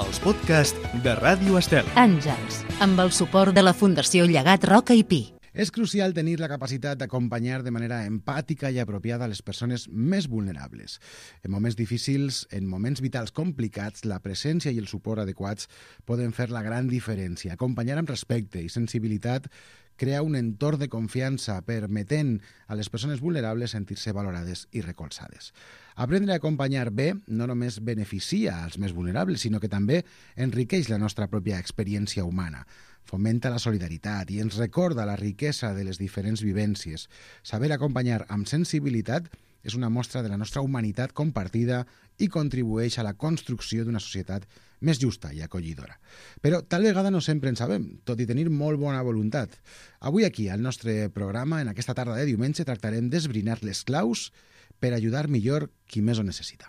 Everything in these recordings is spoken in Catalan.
els podcasts de Ràdio Estel. Àngels, amb el suport de la Fundació Llegat Roca i Pi. És crucial tenir la capacitat d'acompanyar de manera empàtica i apropiada les persones més vulnerables. En moments difícils, en moments vitals complicats, la presència i el suport adequats poden fer la gran diferència. Acompanyar amb respecte i sensibilitat crea un entorn de confiança, permetent a les persones vulnerables sentir-se valorades i recolzades. Aprendre a acompanyar bé no només beneficia als més vulnerables, sinó que també enriqueix la nostra pròpia experiència humana. Fomenta la solidaritat i ens recorda la riquesa de les diferents vivències. Saber acompanyar amb sensibilitat és una mostra de la nostra humanitat compartida i contribueix a la construcció d'una societat més justa i acollidora. Però tal vegada no sempre en sabem, tot i tenir molt bona voluntat. Avui aquí, al nostre programa, en aquesta tarda de diumenge, tractarem d'esbrinar les claus per ajudar millor qui més ho necessita.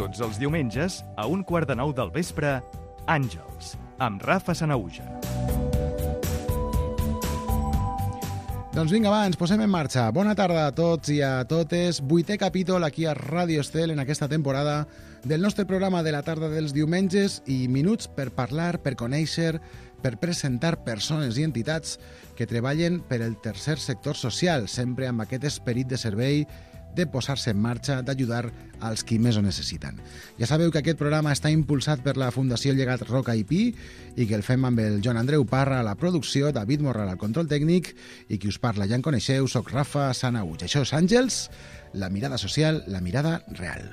Tots els diumenges, a 8:45 del vespre, Àngels, amb Rafa Sanauja. Doncs vinga, va, ens posem en marxa. Bona tarda a tots i a totes. 8è capítol aquí a Ràdio Estel en aquesta temporada del nostre programa de la tarda dels diumenges i minuts per parlar, per conèixer, per presentar persones i entitats que treballen per el tercer sector social, sempre amb aquest esperit de servei, de posar-se en marxa, d'ajudar als qui més ho necessiten. Ja sabeu que aquest programa està impulsat per la Fundació Llegat Roca i Pi i que el fem amb el Joan Andreu Parra a la producció, David Morral al control tècnic i qui us parla, ja en coneixeu, soc Rafa Sanauja. Això és Àngels, la mirada social, la mirada real.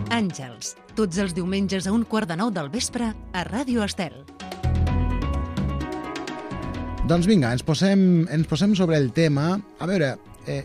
Àngels, tots els diumenges a 8:45 del vespre a Ràdio Estel. Doncs vinga, ens posem sobre el tema. A veure,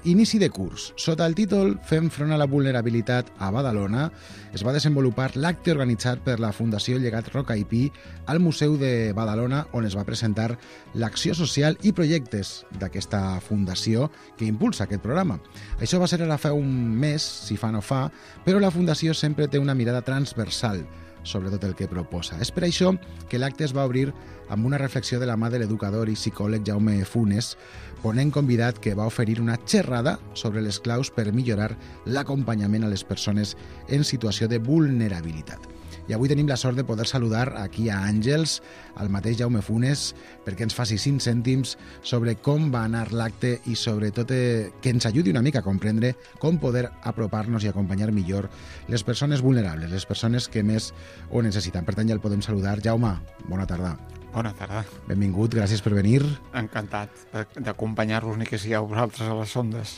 inici de curs. Sota el títol Fem front a la vulnerabilitat a Badalona es va desenvolupar l'acte organitzat per la Fundació Llegat Roca i Pi al Museu de Badalona, on es va presentar l'acció social i projectes d'aquesta fundació que impulsa aquest programa. Això va ser ara fa un mes, si fa no fa, però la fundació sempre té una mirada transversal sobre tot el que proposa. És per això que l'acte es va obrir amb una reflexió de la mà de l'educador i psicòleg Jaume Funes, ponent convidat que va oferir una xerrada sobre les claus per millorar l'acompanyament a les persones en situació de vulnerabilitat. I avui tenim la sort de poder saludar aquí a Àngels, al mateix Jaume Funes, perquè ens faci 5 cèntims sobre com va anar l'acte i sobretot que ens ajudi una mica a comprendre com poder apropar-nos i acompanyar millor les persones vulnerables, les persones que més ho necessiten. Per tant, ja el podem saludar. Jaume, bona tarda. Bona tarda. Benvingut, gràcies per venir. Encantat d'acompanyar-vos, ni que sigueu vosaltres a les ondes.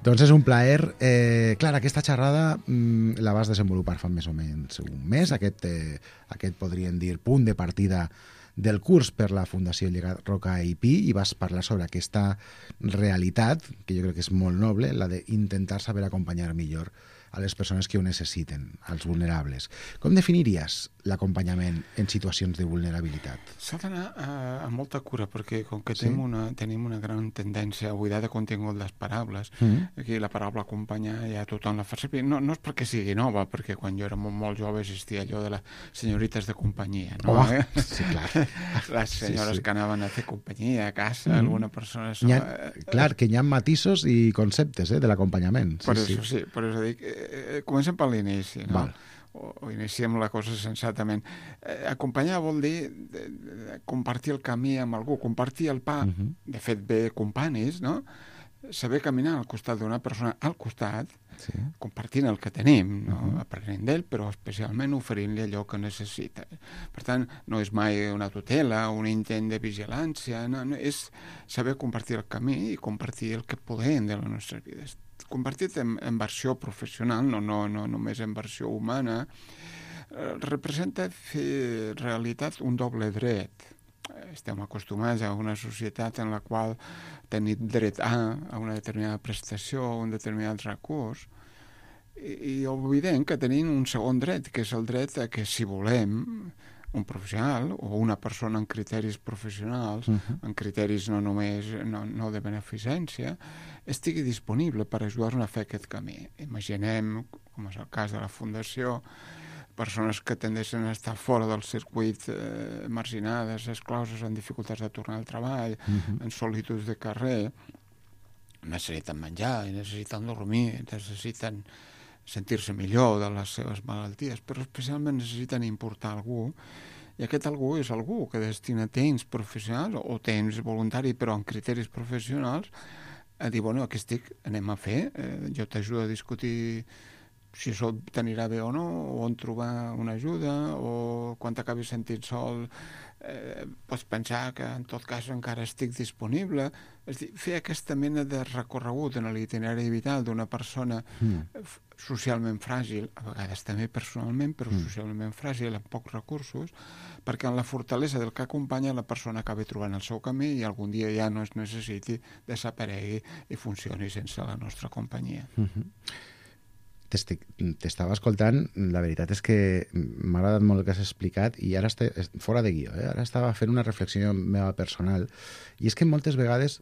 Doncs és un plaer. Clar, aquesta xerrada la vas desenvolupar fa més o menys un mes, aquest podríem dir punt de partida del curs per la Fundació Llegat Roca i Pi, i vas parlar sobre aquesta realitat, que jo crec que és molt noble, la d'intentar saber acompanyar millor a les persones que ho necessiten, als vulnerables. Com definiries l'acompanyament en situacions de vulnerabilitat? S'ha d'anar amb molta cura, perquè com que tenim una gran tendència a buidar de contingut les paraules, aquí la paraula acompanyar ja tothom la fa servir. No és perquè sigui nova, perquè quan jo era molt jove existia allò de les senyorites de companyia, no? Sí, clar. Les senyores que anaven a fer companyia a casa, alguna persona... Clar, que hi ha matisos i conceptes de l'acompanyament. Per això dic, comencem per l'inici, no? Val. O iniciem la cosa sensatament. Acompanyar vol dir compartir el camí amb algú, compartir el pa, de fet bé companys, no? Saber caminar al costat d'una persona al costat, compartint el que tenim, no? Aprenent d'ell, però especialment oferint-li allò que necessita. Per tant, no és mai una tutela, un intent de vigilància, no, és saber compartir el camí i compartir el que podem de les nostres vides. Compartit en versió professional, no només en versió humana, representa fer realitat un doble dret. Estem acostumats a una societat en la qual tenim dret a una determinada prestació, a un determinat recurs, i oblidem que tenim un segon dret, que és el dret a que, si volem, un professional o una persona amb criteris professionals, amb criteris no només no de beneficència, estigui disponible per ajudar-nos a fer aquest camí. Imaginem, com és el cas de la Fundació, persones que tendeixen a estar fora del circuit, marginades, excloses, en dificultats de tornar al treball, en solituds de carrer, necessiten menjar, necessiten dormir, necessiten sentir-se millor de les seves malalties, però especialment necessiten importar algú, i aquest algú és algú que destina temps professionals o temps voluntari però amb criteris professionals a dir, bueno, aquí estic, anem a fer, jo t'ajudo a discutir si això t'anirà bé o no, o on trobar una ajuda, o quan t'acabis sentint sol pots pensar que en tot cas encara estic disponible. És dir, fer aquesta mena de recorregut en l'itinerari vital d'una persona socialment fràgil, a vegades també personalment, però socialment fràgil, amb pocs recursos, perquè en la fortalesa del que acompanya la persona acabi trobant el seu camí i algun dia ja no es necessiti, desaparegui i funcioni sense la nostra companyia. T'estava escoltant, la veritat és que m'ha agradat molt el que has explicat i ara fora de guió, ara estava fent una reflexió meva personal i és que moltes vegades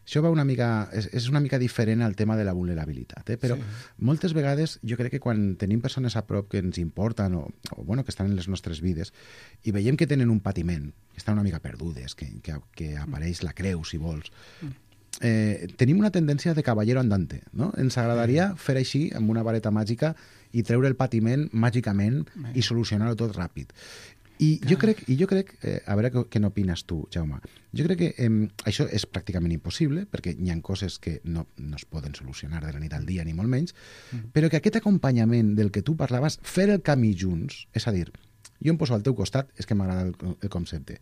això va és una mica diferent al tema de la vulnerabilitat, però moltes vegades jo crec que quan tenim persones a prop que ens importen o bueno, que estan en les nostres vides i veiem que tenen un patiment, que estan una mica perdudes, que apareix la creu, si vols, tenim una tendència de caballero andante, no? Ens agradaria fer així amb una vareta màgica i treure el patiment màgicament i solucionar-ho tot ràpid. I jo crec, a veure què n'opines tu, Jaume, jo crec que això és pràcticament impossible, perquè hi ha coses que no es poden solucionar de la nit al dia, ni molt menys, però que aquest acompanyament del que tu parlaves, fer el camí junts, és a dir, jo em poso al teu costat, és que m'agrada el concepte,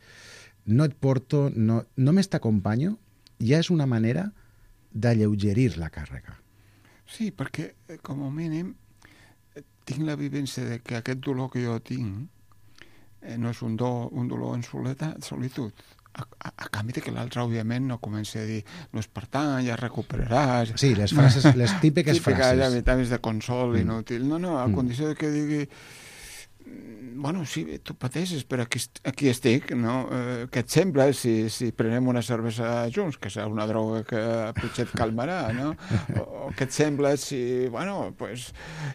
no et porto, només t'acompanyo, ja és una manera d'alleugerir la càrrega. Sí, perquè, com a mínim, tinc la vivència de que aquest dolor que jo tinc no és un dolor en solitud. A canvi de que l'altre, òbviament, no comenci a dir no és per tant, ja recuperaràs... Sí, les frases, les típiques frases. Ja vitamis de consol inútil. No, a condició de que digui bueno, sí, tu pateixes, però aquí estic, no? Què et sembla si prenem una cervesa junts, que serà una droga que potser et calmarà, no? O què et sembla si, bueno, pues,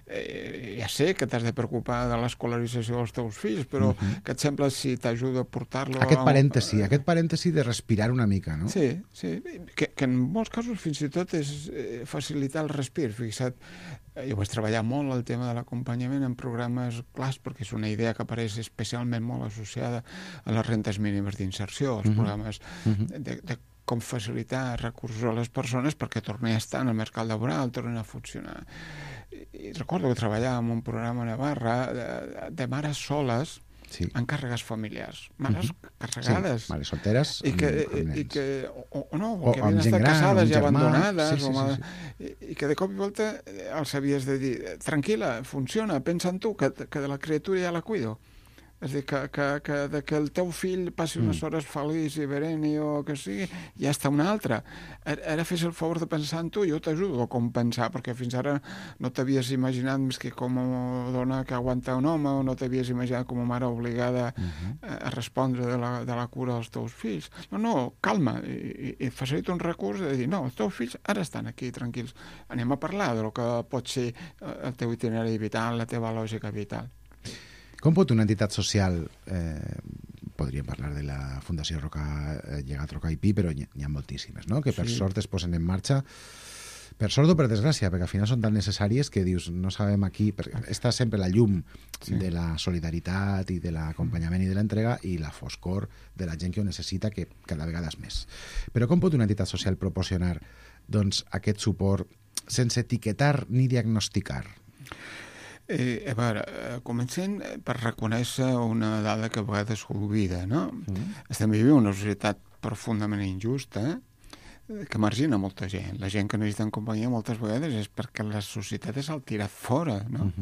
ja sé que t'has de preocupar de l'escolarització dels teus fills, però què et sembla si t'ajuda a portar-lo... Aquest parèntesi de respirar una mica, no? Sí, que en molts casos fins i tot és facilitar el respir, fixa't. Jo vaig treballar molt el tema de l'acompanyament en programes clars, perquè és una idea que apareix especialment molt associada a les rentes mínimes d'inserció, els programes de com facilitar recursos a les persones perquè tornin a estar en el mercat laboral, tornin a funcionar. I recordo que treballava en un programa a Navarra de mares soles en càrregues familiars, mares carregades, mares solteres i que havien estat casades i abandonades i que de cop i volta els havies de dir tranquil·la, funciona, pensa en tu que de la criatura ja la cuido. És a dir, que el teu fill passi unes hores feliç i bereni o que sigui, ja està una altra. Ara fes el favor de pensar en tu, jo t'ajudo a compensar, perquè fins ara no t'havies imaginat més que com a dona que aguanta un home, o no t'havies imaginat com a mare obligada a respondre de la cura dels teus fills. No, calma, i facilita un recurs de dir, no, els teus fills ara estan aquí tranquils. Anem a parlar del que pot ser el teu itinerari vital, la teva lògica vital. Com pot una entitat social, podríem parlar de la Fundació Llegat Roca i Pi, però hi ha moltíssimes, no? Que per sort es posen en marxa, per sort o per desgràcia, perquè al final són tan necessàries que dius, no sabem aquí, perquè està sempre la llum de la solidaritat i de l'acompanyament i de l'entrega i la foscor de la gent que ho necessita, que cada vegada és més. Però com pot una entitat social proporcionar aquest suport sense etiquetar ni diagnosticar? A veure, comencem per reconèixer una dada que a vegades s'oblida, no? Estem vivint una societat profundament injusta que margina molta gent. La gent que necessita companyia moltes vegades és perquè la societat és el tirat fora, no?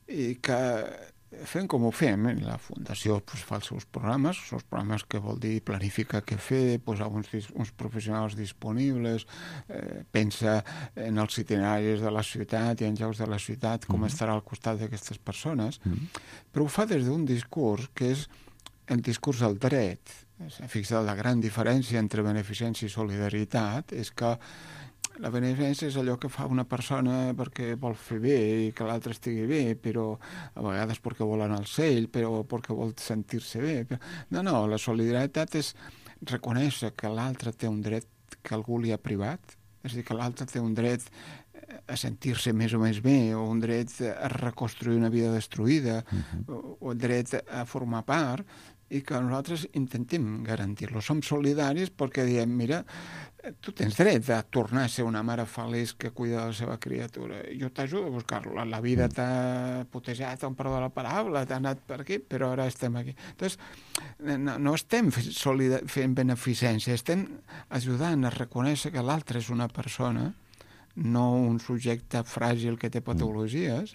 I que fem com ho fem, la Fundació fa els seus programes que vol dir planificar què fer, posar uns professionals disponibles, pensa en els itineraris de la ciutat i en llocs de la ciutat, com estarà al costat d'aquestes persones, però ho fa des d'un discurs que és el discurs del dret. Fixa't, la gran diferència entre beneficència i solidaritat és que La beneficència és allò que fa una persona perquè vol fer bé i que l'altre estigui bé, però a vegades perquè vol anar al cel, però perquè vol sentir-se bé. Però... No, la solidaritat és reconèixer que l'altre té un dret que algú li ha privat, és a dir, que l'altre té un dret a sentir-se més o més bé, o un dret a reconstruir una vida destruïda, o dret a formar part, i que nosaltres intentem garantir-lo. Som solidaris perquè diem, mira, tu tens dret a tornar a ser una mare feliç que cuida de la seva criatura. Jo t'ajudo a buscar-lo. La vida t'ha putejat, amb perdó la paraula, t'ha anat per aquí, però ara estem aquí. Entonces, no estem fent beneficència, estem ajudant a reconèixer que l'altre és una persona, no un subjecte fràgil que té patologies,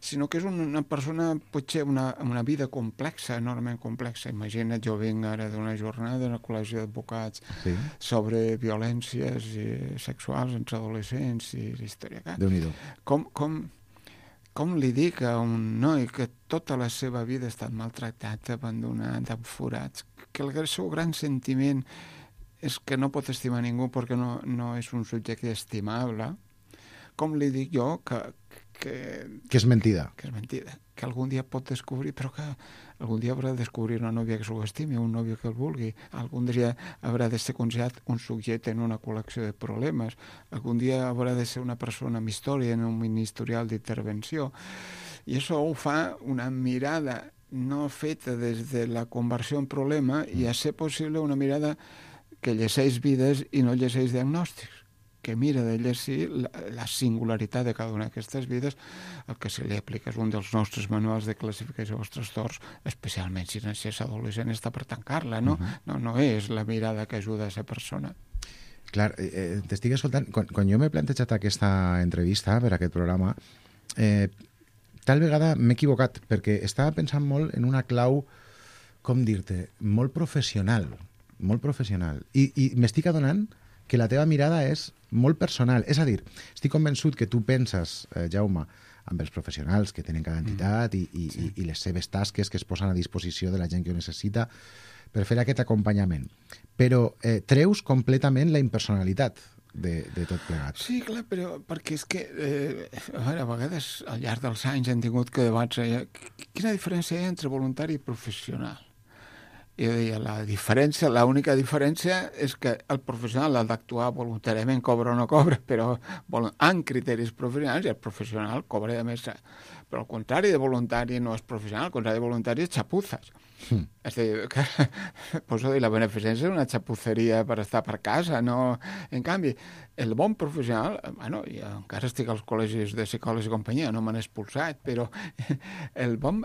sinó que és una persona, potser una vida complexa, enormement complexa. Imagina't, jo vinc ara d'una jornada en el Col·legi d'Advocats sobre violències sexuals entre adolescents i història. Déu-n'hi-do. Com li dic a un noi que tota la seva vida ha estat maltractat, abandonat, amb forats, que el seu gran sentiment és que no pot estimar ningú perquè no és un subjecte estimable, com li dic jo que és mentida. Que és mentida, que algun dia pot descobrir, però que algun dia haurà de descobrir una nòvia que s'ho estimi, un nòvio que el vulgui, algun dia haurà de ser considerat un subjecte en una col·lecció de problemes, algun dia haurà de ser una persona amb història en un mini historial d'intervenció, i això ho fa una mirada no feta des de la conversió en problema i a ser possible una mirada que llegeix vides i no llegeix diagnòstics, que mira de llegir la singularitat de cada una d'aquestes vides. El que se li aplica és un dels nostres manuals de classificació dels trastorns, especialment si és adolescent, està per tancar-la, no? No és la mirada que ajuda a ser persona. Clar, t'estic escoltant. Quan jo m'he plantejat aquesta entrevista per aquest programa, tal vegada m'he equivocat, perquè estava pensant molt en una clau, com dir-te, molt professional, i m'estic adonant que la teva mirada és molt personal. És a dir, estic convençut que tu penses, Jaume, amb els professionals que tenen cada entitat i les seves tasques que es posen a disposició de la gent que ho necessita per fer aquest acompanyament. Però treus completament la impersonalitat de tot plegat. Sí, clar, però perquè és que a vegades al llarg dels anys hem tingut que debats quina diferència hi ha entre voluntari i professional. I deia, l'única diferència és que el professional ha d'actuar voluntàriament, cobra o no cobra, però en criteris professionals, i el professional cobra de més. Però al contrari de voluntari no és professional, al contrari de voluntari és xapuzes. És a dir, la beneficència és una xapuceria per estar per casa, no? En canvi, el bon professional, jo encara estic als col·legis de psicòlegs i companyia, no m'han expulsat, però el bon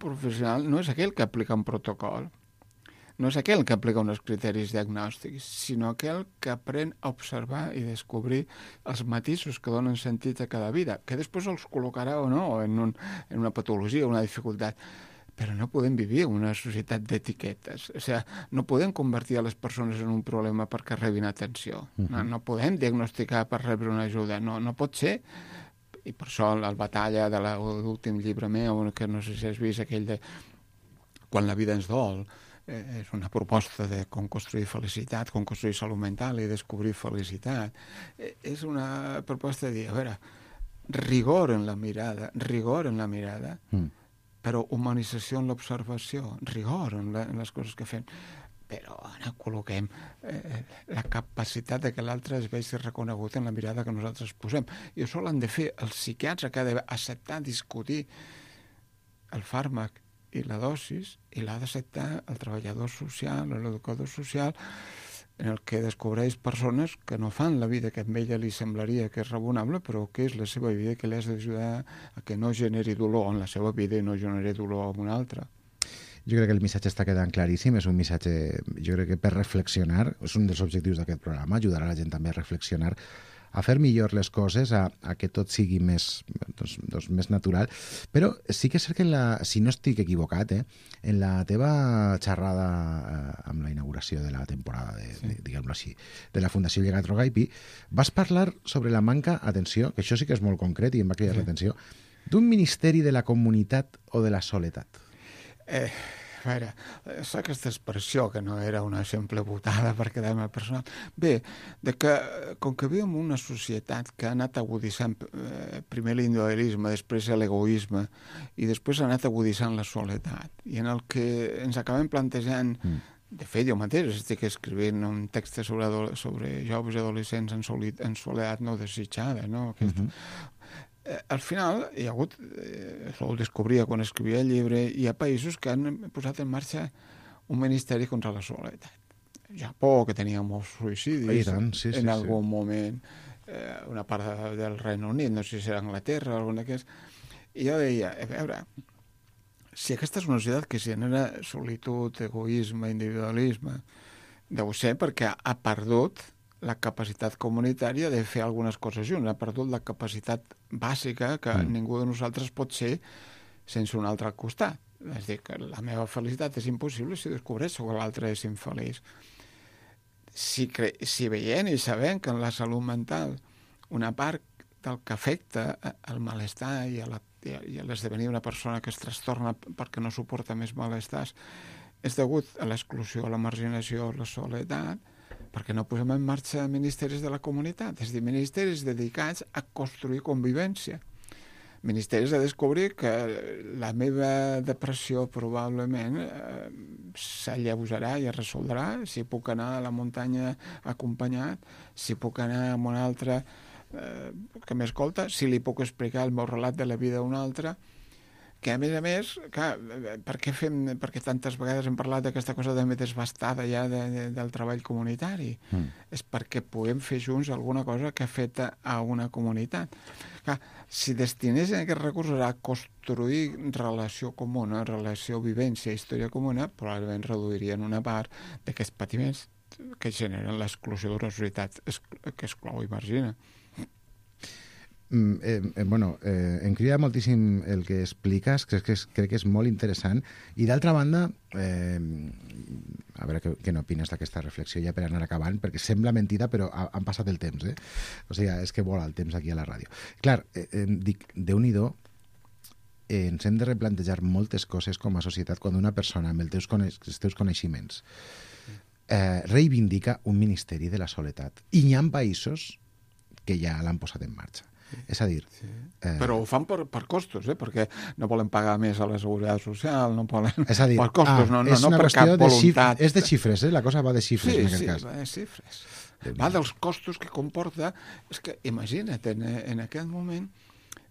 professional no és aquell que aplica un protocol, no és aquell que aplica uns criteris diagnòstics, sinó aquell que aprèn a observar i descobrir els matisos que donen sentit a cada vida, que després els col·locarà o no en una patologia, una dificultat. Però no podem vivir en una societat d'etiquetes. O sigui, no podem convertir a les persones en un problema perquè rebin atenció. No podem diagnosticar per rebre una ajuda. No pot ser. I per això la batalla de l'últim llibre meu, que no sé si has vist, aquell de Quan la vida ens dol, és una proposta de com construir felicitat, com construir salut mental i descobrir felicitat. És una proposta de dir, a veure, rigor en la mirada, però humanització en l'observació, rigor en les coses que fem. Però ara col·loquem la capacitat de que l'altre es vegi reconegut en la mirada que nosaltres posem. I això l'han de fer els psiquiatres, que han d'acceptar discutir el fàrmac i la dosis, i l'ha d'acceptar el treballador social o l'educador social, en el que descobreix persones que no fan la vida que a ella li semblaria que és raonable, però que és la seva vida, que l'has d'ajudar a que no generi dolor en la seva vida i no generi dolor en una altra. Jo crec que el missatge està quedant claríssim, és un missatge, jo crec que per reflexionar, és un dels objectius d'aquest programa, ajudar a la gent també a reflexionar, a fer millor les coses, a que tot sigui més natural. Però sí que és cert que, si no estic equivocat, en la teva xerrada amb la inauguració de la temporada, diguem-ho així, de la Fundació Llegat Rogaipi, vas parlar sobre la manca, atenció, que això sí que és molt concret i em va cridar l'atenció, d'un ministeri de la comunitat o de la soledat. veure, és aquesta expressió que no era una simple botada per quedar-me personal. Bé, com que vivim en una societat que ha anat aguditzant primer l'individualisme, després l'egoisme, i després ha anat aguditzant la soledat, i en el que ens acabem plantejant... De fet, jo mateix estic escrivint un text sobre joves i adolescents en soledat no desitjada, no? Al final, hi ha hagut, això ho descobria quan escrivia el llibre, hi ha països que han posat en marxa un ministeri contra la soledat. Japó, que tenia molts suïcidis, en algun moment, una part del Regne Unit, no sé si era Anglaterra, algun d'aquests, i jo deia, a veure, si aquesta és una societat que genera solitud, egoisme, individualisme, deu ser perquè ha perdut la capacitat comunitària de fer algunes coses junts, ha perdut la capacitat bàsica que ningú de nosaltres pot ser sense un altre al costat. És a dir, que la meva felicitat és impossible si descobreixo que l'altre és infeliç. Si veient i sabent que en la salut mental una part del que afecta el malestar i l'esdevenir una persona que es trastorna perquè no suporta més malestars és degut a l'exclusió, a la marginació, a la soledat, perquè no posem en marxa ministeris de la comunitat, és a dir, ministeris dedicats a construir convivència. Ministeris a descobrir que la meva depressió probablement s'alleujarà i es resoldrà si puc anar a la muntanya acompanyat, si puc anar amb un altre que m'escolta, si li puc explicar el meu relat de la vida a un altre, que a més, clar, perquè tantes vegades hem parlat d'aquesta cosa també desbastada ja del treball comunitari? És perquè puguem fer junts alguna cosa que afecta a una comunitat. Clar, si destinessin aquests recursos a construir relació comuna, relació, vivència, història comuna, probablement reduirien una part d'aquests patiments que generen l'exclusió d'una societat que exclou i margina. Em crida moltíssim el que expliques, crec que és molt interessant, i d'altra banda, a veure què n'opines d'aquesta reflexió ja per anar acabant, perquè sembla mentida però han passat el temps, o sigui, és que vola el temps aquí a la ràdio. Clar, dic, Déu-n'hi-do, ens hem de replantejar moltes coses com a societat quan una persona amb els teus coneixements reivindica un ministeri de la soledat, i n'hi ha països que ja l'han posat en marxa. És a dir... Però ho fan per costos, perquè no volen pagar més a la seguretat social, no volen... És a dir, per costos, no per cap voluntat. És de xifres, la cosa va de xifres en aquest cas. Sí, va de xifres. Va dels costos que comporta... És que, imagina't, en aquest moment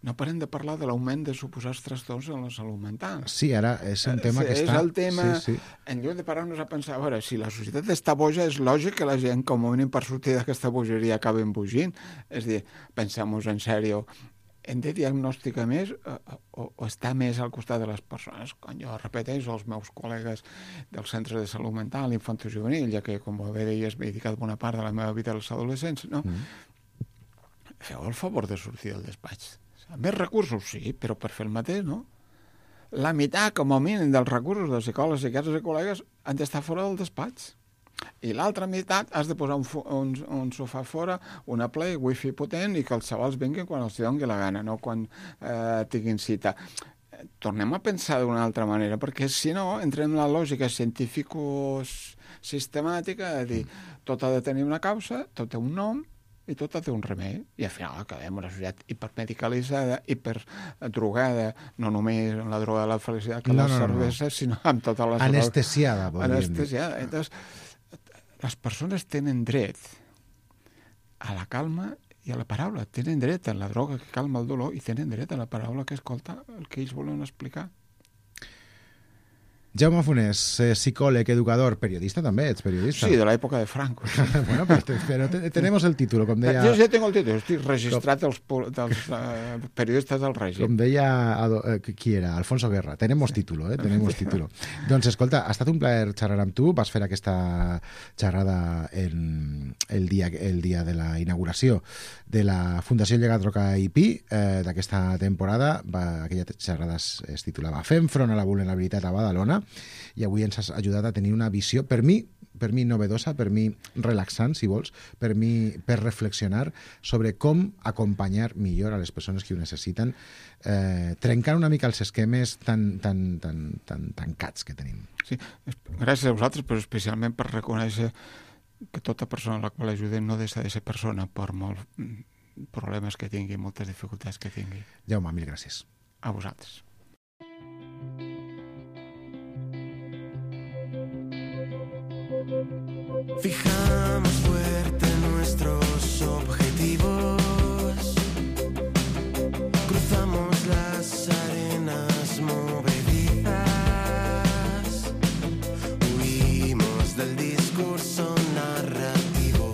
no parem de parlar de l'augment de suposats trastorns en la salut mental. Sí, ara és un tema que està... És el tema... En lloc de parar-nos a pensar, a veure, si la societat està boja, és lògic que la gent, com a mínim per sortir d'aquesta bogeria, acabi embogint. És a dir, pensem-nos en sèrio, hem de diagnosticar més o estar més al costat de les persones? Quan jo repeteixo als meus col·legues del Centre de Salut Mental Infantojuvenil, ja que, com bé deies, m'he dedicat bona part de la meva vida als adolescents, no? Feu el favor de sortir del despatx. Més recursos, sí, però per fer el mateix, no? La meitat, com a mínim, dels recursos dels psicòlegs, psiquiatres i col·legues han d'estar fora del despatx. I l'altra meitat has de posar un sofà fora, una play, wifi potent, i que els xavals vinguin quan els doni la gana, no quan tinguin cita. Tornem a pensar d'una altra manera, perquè si no, entrem en la lògica científico-sistemàtica de dir tot ha de tenir una causa, tot té un nom, i tot té un remei, i al final acabem una societat hipermedicalitzada, hiperdrogada, no només amb la droga de la felicitat que la cervesa, sinó amb totes les... Anestesiada, anestesiada. Entonces, les persones tenen dret a la calma i a la paraula, tenen dret a la droga que calma el dolor i tenen dret a la paraula que escolta el que ells volen explicar. Jaume Funés, psicòleg, educador, periodista també, ets periodista. Sí, de l'època de Franco. Bueno, pero tenemos el título, com deia... Jo ja tengo el títol, estic registrat dels periodistes del règim. Com deia, qui era? Alfonso Guerra. Tenemos título, tenemos título. Doncs, escolta, ha estat un plaer xerrar amb tu, vas fer aquesta xerrada el dia de la inauguració de la Fundació Llegat Roca i Pi d'aquesta temporada. Aquella xerrada es titulava Fem front a la vulnerabilitat a Badalona, i avui ens has ajudat a tenir una visió, per mi per mi novedosa, per mi relaxant, si vols, per reflexionar sobre com acompanyar millor a les persones que ho necessiten, trencant una mica els esquemes tan tancats que tenim. Sí, gràcies a vosaltres, però especialment per reconèixer que tota persona a la qual ajudem no deixa de ser persona, per molts problemes que tingui, moltes dificultats que tingui. Jaume, mil gràcies. A vosaltres. Fijamos fuerte nuestros objetivos, cruzamos las arenas movedizas, huimos del discurso narrativo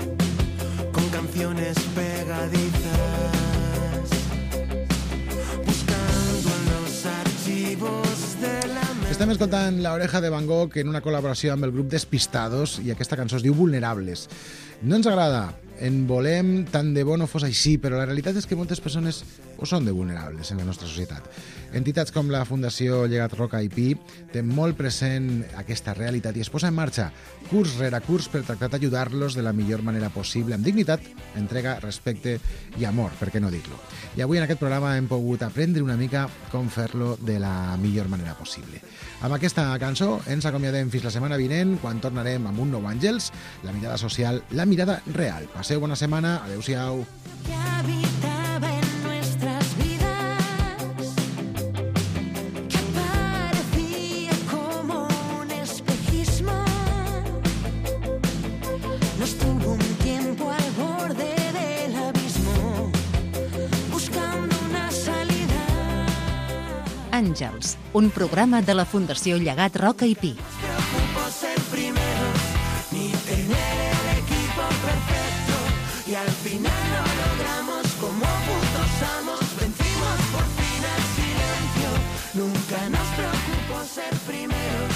con canciones pegadizas, buscando en los archivos de la mente. Estem escoltant La Oreja de Van Gogh en una col·laboració amb el grup Despistados i aquesta cançó es diu Vulnerables. No ens agrada, en volem tant de bo no fos així, però la realitat és que moltes persones ho són de vulnerables en la nostra societat. Entitats com la Fundació Llegat Roca i Pi tenen molt present aquesta realitat i es posa en marxa curs rere curs per tractar d'ajudar-los de la millor manera possible, amb dignitat, entrega, respecte i amor, per què no dir-lo. I avui en aquest programa hem pogut aprendre una mica com fer-lo de la millor manera possible. Amb aquesta cançó ens acomiadem fins la setmana vinent, quan tornarem amb un nou Àngels, la mirada social, la mirada real. Passeu bona setmana, adeu-siau. Que habitaba en nuestras vidas, que aparecía como un espejismo, nos tuvo un tiempo al borde del abismo, buscando una salida. Àngels, un programa de la Fundació Llegat Roca i Pi. Nos preocupó ser primeros, ni tener el equipo perfecto, y al final lo logramos como putos amos, vencimos por fin al silencio. Nunca nos preocupó ser primeros,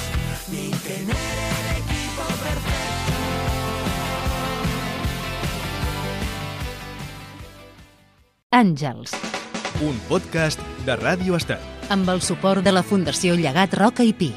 ni tener el equipo perfecto. Àngels, Un podcast de Ràdio Estel. amb el suport de la Fundació Llegat Roca i Pi.